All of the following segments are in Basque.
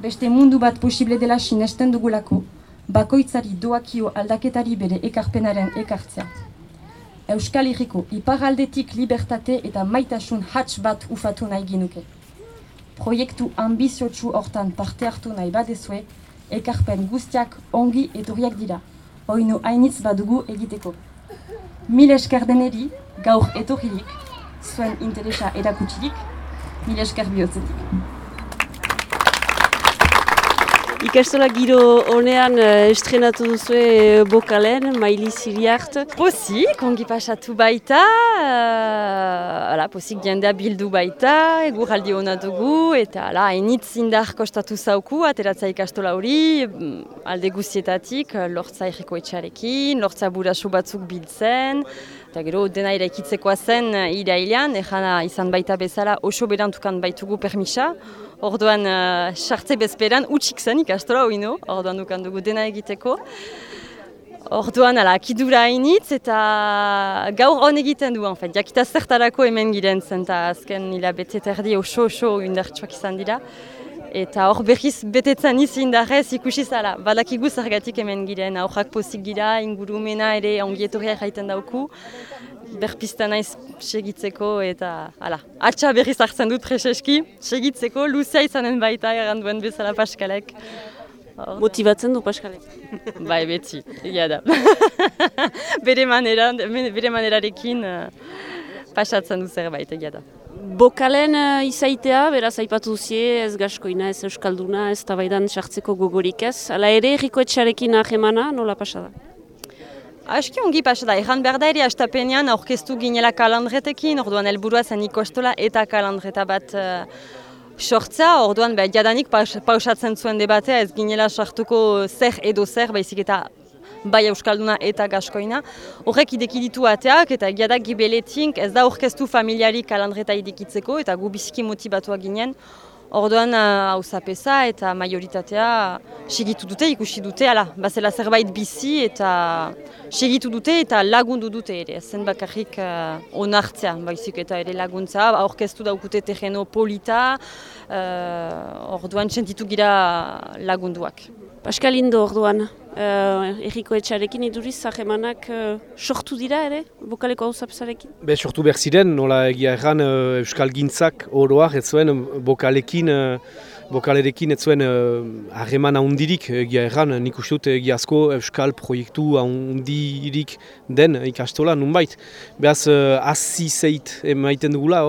Beste mundu bat posible dela sinesten dugulako, bakoitzari doakio aldaketari bere ekarpenaren ekartzea. Euskal Herriko iparaldetik libertate eta maitasun hats bat ufatu nahi ginuke. Proiektu ambiziotsu hortan parte hartu nahi badezue, ekarpen guztiak ongi etorriak dira, oinu hainitz badugu egiteko. Mil esker deneri, gaur etorririk, zuen interesa erakutsirik, mil esker bihotzetik. Ikastola giro honean estrenatu duzue Bokalen, Maili Ziriart. Pozik, ongi pasatu baita, pozik jendea bildu baita, eguraldi hona dugu, eta hainitz indar kostatu zauku, ateratza ikastola hori, alde guztietatik, lortza erriko etxarekin, lortza buraso batzuk biltzen, eta gero dena eraikitzekoa zen irailean, ejana izan baita bezala oso berantukan baitugu permisa. Orduan, sartze bezperan utxik zen ikastola hori, orduan dukan dugu dena egiteko. Orduan, akidura hainitz eta gaur hon egiten du, jakita zertarako hemen giren zen, eta azken hilabete terdi oso indartsuak izan dira. Eta hor berriz betetzen indarrez ikusi zala, badakigu zergatik hemen giren, aurrak pozik gira, ingurumena ere ongietorria jaiten dauku. Berpista naiz segitzeko eta atxa berriz hartzen dut preseski, segitzeko luzea izanen baita erranduen bezala Paskalek. Motibatzen du Paskalek? Bai, beti, egia da. Bere manerarekin pasatzen du zerbait, egia da. Bokalen izaitea, beraz aipatu duzie, ez gaskoina, ez euskalduna, ez tabaidan sartzeko gogorik ez. Hala ere, erriko etxarekin ahemana, nola pasada? Aski ongi pasada, erran behar da ere astapenean aurkeztu ginela kalandretekin, orduan helburua zen ikostola eta kalandreta bat sortzea, orduan jadanik pausatzen zuen debatea ez ginela sartuko zer edo zer, baizik eta bai euskalduna eta gaskoina. Horrek ideki ditu ateak eta egia da gibeletink ez da aurkeztu familiari kalandreta idekitzeko eta gu biziki motibatuak ginen. Orduan hauzapeza eta majoritatea segitu dute, ikusi dute, bazela zerbait bizi eta segitu dute eta lagundu dute ere. Zen bakarrik onartzea, baizik eta ere laguntza, aurkeztu daukute terreno polita, orduan sentitu gira lagunduak. Pascal Indo orduan, erriko etxarekin iduriz zahemanak sortu dira ere, Bokaleko hauzapezarekin? Sortu behar ziren, nola egia erran Euskal Gintzak oroak ez zuen Bokalerekin ez zuen harreman handirik egia erran, nik uste dut egiazko Euskal proiektu handirik den ikastola nunbait. Behaz hazi zeit emaiten dugula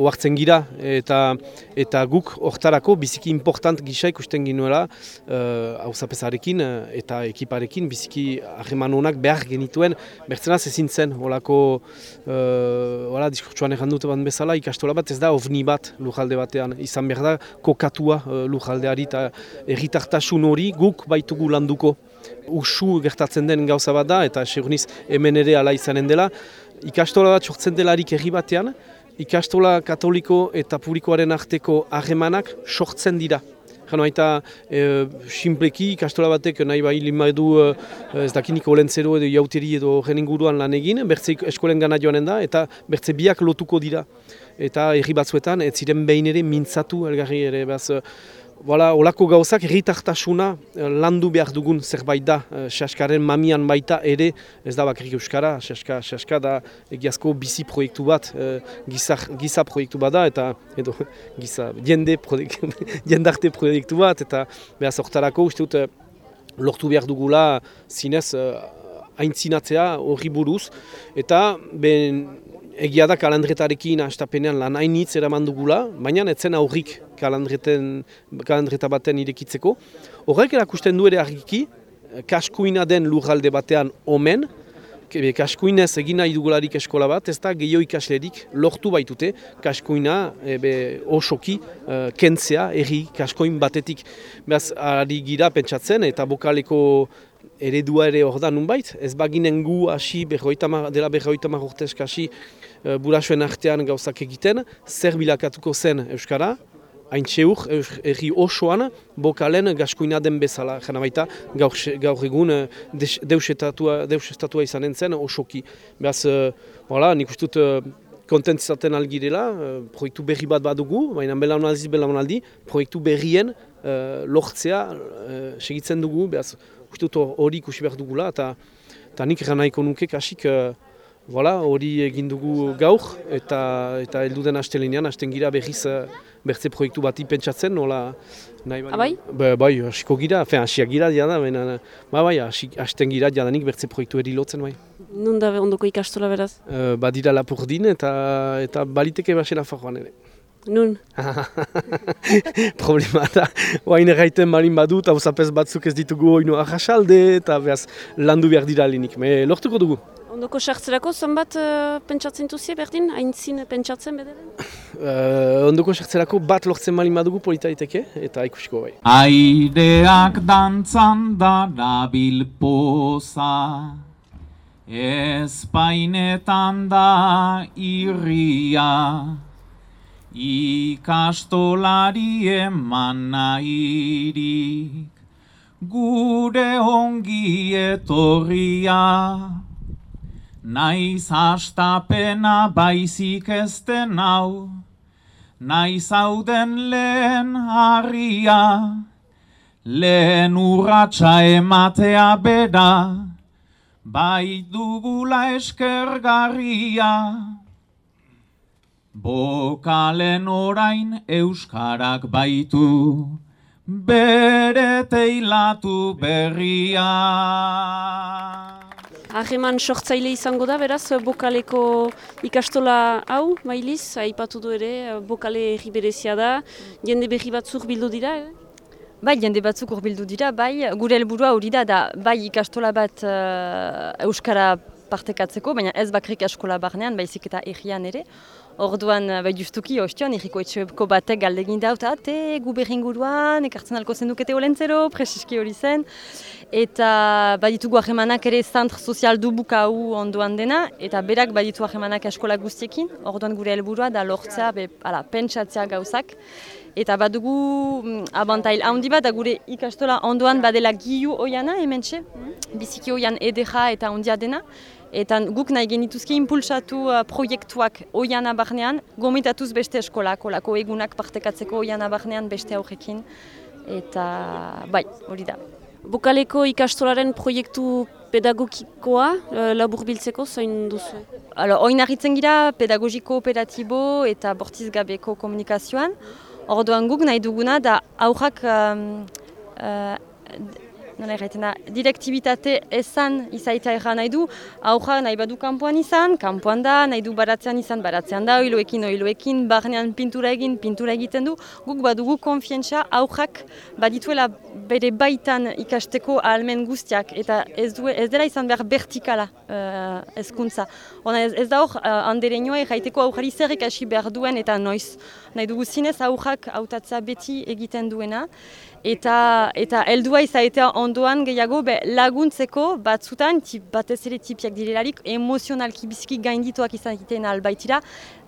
hartzen gira eta guk hortarako biziki important gisa ikusten ginuela hauzapezarekin eta ekiparekin biziki harreman honak behar genituen bertzenaz ezin zen olako diskurtsuan errandute bat bezala ikastola bat ez da ovni bat lujalde batean izan behar da kokatua lujaldeari eta erritartasun hori guk baitugu landuko. Usu gertatzen den gauza bat da eta seguniz hemen ere ala izanen dela. Ikastola bat sortzen delarik herri batean, ikastola katoliko eta publikoaren arteko harremanak sortzen dira. Jano baita, simpleki ikastola batek nahi bai limadu ez dakiniko olentzero edo jauteri edo horren inguruan lan egin, bertze eskolen gana joanen da eta bertze biak lotuko dira. Eta herri batzuetan ez ziren behin ere mintzatu elgarri ere. Olako gauzak erritartasuna landu behar dugun zerbait da, Saskaren mamian baita ere, ez da bakarrik euskara, Saska da egiazko bizi proiektu bat, giza proiektu bat da, eta edo jendarte proiektu bat, eta behaz hortarako uste dut lortu behar dugula zinez aintzinatzea horri buruz, eta egia da kalandretarekin astapenean lan hainitz eraman dugula, baina etzen aurrik kalandreta baten irekitzeko. Horrek erakusten du ere argiki, kaskuina den lurralde batean omen, kaskuinez egin nahi dugularik eskola bat, ez da gehiago ikaslerik lortu baitute kaskuina osoki kentzea erri kaskoin batetik. Beraz, ari gira pentsatzen eta Bokaleko eredua ere hor da nunbait, ez baginen gu hasi dela 50 urtesk hasi burasuen artean gauzak egiten, zer bilakatuko zen euskara, haintxeur, erri osoan, Bokalen gaskoina den bezala. Jena baita, gaur egun deusestatua izanen zen osoki. Beraz, nik uste dut kontentzaten algirela, proiektu berri bat badugu, baina belaunaldi, proiektu berrien lortzea segitzen dugu, behaz, uste dut hori ikusi behar dugula, eta nik eran nahiko nuke kasik hori egin dugu gaur, eta heldu den astelenean, hasten gira berriz bertze proiektu bati pentsatzen, nola nahi Bai? Bai, hasiko gira, hasiak gira jada, hasten gira jadanik bertze proiektu eri lotzen, bai. Non da ondoko ikastola beraz? Badira Lapurdin eta baliteke basela Nafarroan ere. Nun? Problema da, oain erraiten marin badut, hauzapez batzuk ez ditugu oinu arrasalde, eta behaz landu behar dira linik, lortuko dugu. Ondoko sartzerako zenbat pentsatzen duzie berdin? Aintzin pentsatzen bederen? Ondoko sartzerako bat lortzen marin badugu polita daiteke, eta ikusiko bai. Aireak dantzan darabil poza, Espainetan da irria, ikastolari eman nahirik, gure ongi etorria. Naiz hastapena baizik ez den hau, naiz hauden lehen harria, lehen urratsa ematea bera, bai dugula eskergarria. Bokalen orain euskarak baitu, bere teilatu berria. Harreman sortzaile izango da, beraz, bokaleko ikastola hau, mailiz, aipatu du ere, bokale herri berezia da, jende berri batzuk bildu dira, Bai, jende batzuk hurbildu dira, bai, gure helburua hori da, bai ikastola bat euskara partekatzeko, baina ez bakrik eskola barnean, baizik eta herrian ere. Orduan, bai justuki, ostion, herriko etxeko batek galdegin daut, gu berringuruan, ekartzen alko zendukete olentzero, presiski hori zen. Eta baditugu harremanak ere zantr sozial dubuka hau ondoan dena, eta berak baditu harremanak eskola guztiekin, orduan gure helburua da lortzea, pentsatzea gauzak. Eta badugu abantail handi bat, da gure ikastola ondoan badela giu oiana, hementxe, biziki oian edera eta ondia dena. Eta guk nahi genituzke impulsatu proiektuak oiana barnean, gomitatuz beste eskolak, olako egunak partekatzeko oiana barnean beste aurrekin. Eta bai, hori da. Bokaleko ikastolaren proiektu pedagogikoa labur biltzeko zain duzu? Oinarritzen gira pedagogi kooperatibo eta bortiz gabeko komunikazioan. Orduan guk nahi duguna da aurrak direktibitate ezan izaitea erran nahi du, aurra nahi badu kanpoan izan, kanpoan da, nahi du baratzean izan, baratzean da, oiloekin, barnean pintura egiten du, guk badugu konfientza aurrak badituela bere baitan ikasteko ahalmen guztiak, eta ez dela izan behar vertikala hezkuntza. Ez da hor, andereinoa erraiteko aurrari zer ikasi behar duen eta noiz. Nahi dugu zinez aurrak hautatzea beti egiten duena, eta heldua izaitea ondoan gehiago laguntzeko batzutan, batez ere tipiak direlarik, emozionalki biziki gaindituak izaiten albaitira,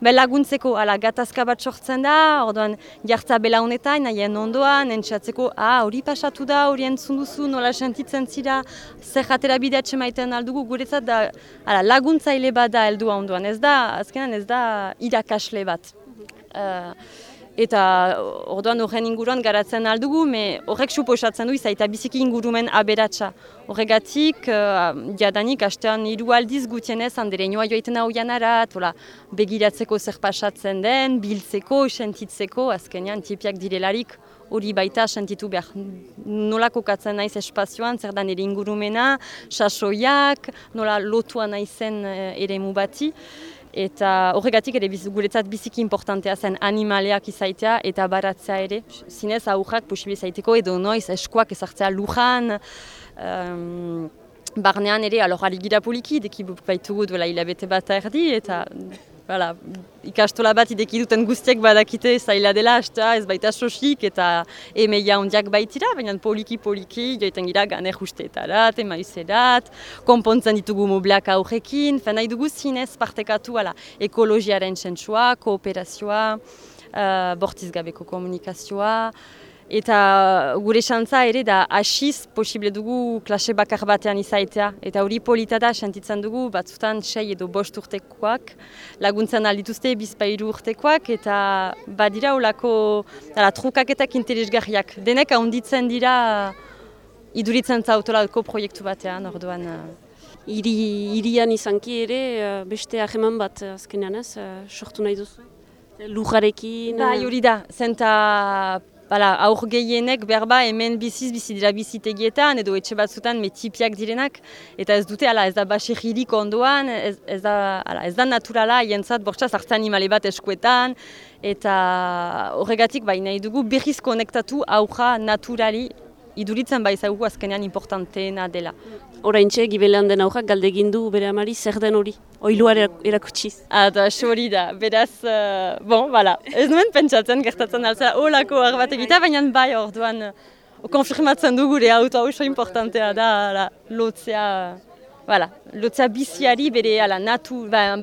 laguntzeko gatazka bat sortzen da, orduan jartza bela honetan, nahien ondoan, entzatzeko, hori pasatu da, hori entzun duzu, nola sentitzen zira, zer jatera bideatxe maiten aldugu, guretzat da laguntzaile bat da heldua ondoan, azkenan ez da irakasle bat. Eta orduan horren inguruan garatzen aldugu, horrek suposatzen du izaita biziki ingurumen aberatsa. Horregatik, jadanik, hastean 3 aldiz gutienez andereinoa joaiten hau janarat, begiratzeko zer pasatzen den, biltzeko, sentitzeko, azkenean tipiak direlarik hori baita sentitu behar. Nola kokatzen naiz espazioan, zer da nire ingurumena, sasoiak, nola lotua naizen eremu bati. Eta horregatik ere guretzat biziki importantea zen animaleak izaitea eta baratzea ere. Zinez aurrak posible izaiteko edo noiz eskuak ezartzea lujan. Barnean ere, ari gira poliki, deki baitugu duela hilabete bat erdi eta ikastola bat ideki duten guztiak badakite zaila dela, ez baita sosik eta emeia ondiak baitira, baina poliki joiten gira ganer usteetarat, emaizerat, konpontzen ditugu mobleak aurrekin, nahi dugu zinez partekatu ekologiaren sentsua, kooperazioa, bortiz gabeko komunikazioa, Eta gure xantza ere da hasiz posible dugu klase bakar batean izaitea. Eta hori polita da, sentitzen dugu, batzutan 6 edo 5 urtekoak, laguntzen aldituzte 2-3 urtekoak, eta badira olako trukaketak interesgarriak. Denek ahonditzen dira iduritzen zautolako proiektu batean, orduan. Irian izanki ere beste hageman bat azkenean ez, sortu nahi duzu? Lujarekin? Bai, hori da, zenta aur gehienek berba hemen bizi dira bizitegietan edo etxe batzutan tipiak direnak eta ez dute, ez da baserririk ondoan, ez da naturala jentzat bortxaz hartza animale bat eskuetan eta horregatik nahi dugu berriz konektatu aurra naturali iduritzen baizagugu azkenean importanteena dela. Oraintxe gibelean den aurrak galdegin du bere amari zer den hori, oiluar erakutsiz. Hori da, beraz, ez nuen pentsatzen gertatzen altzea olako bat egitea, baina bai orduan konfirmatzen du gure auto oso importantea da lotzea biziari bere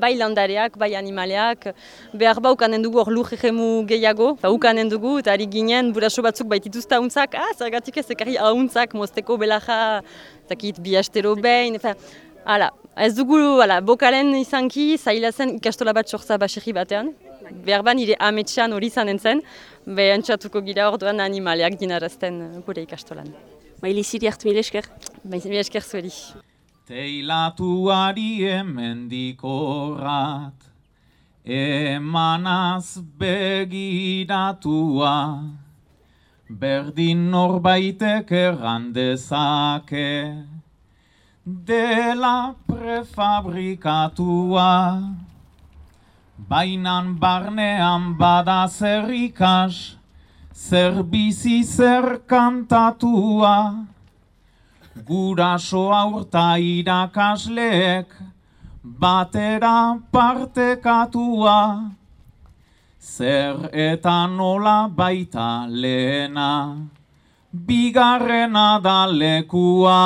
bai landareak, bai animaleak, behar ukanen dugu hor lur egemu gehiago, ukanen dugu eta ari ginen buraso batzuk baitituzta hauntzak, zergatik ez ekarri hauntzak mozteko belaja, zakit bi astero behin, ez dugu bokalen izanki zaila zen ikastola bat sortza baserri batean, behar nire ametxean hori zanen zen, behantxatuko gira orduan animaleak dinarazten gure ikastolan. Maili ziri hart mile esker? Mile esker zueli. Teilatuari emendikorrat, emanaz begiratua, berdin norbaitek errandezake, dela prefabrikatua, bainan barnean bada zer ikas, zer bizi zer kantatua, guraso aurta irakasleek batera partekatua, zer eta nola baita lehena, bigarrena da lekua.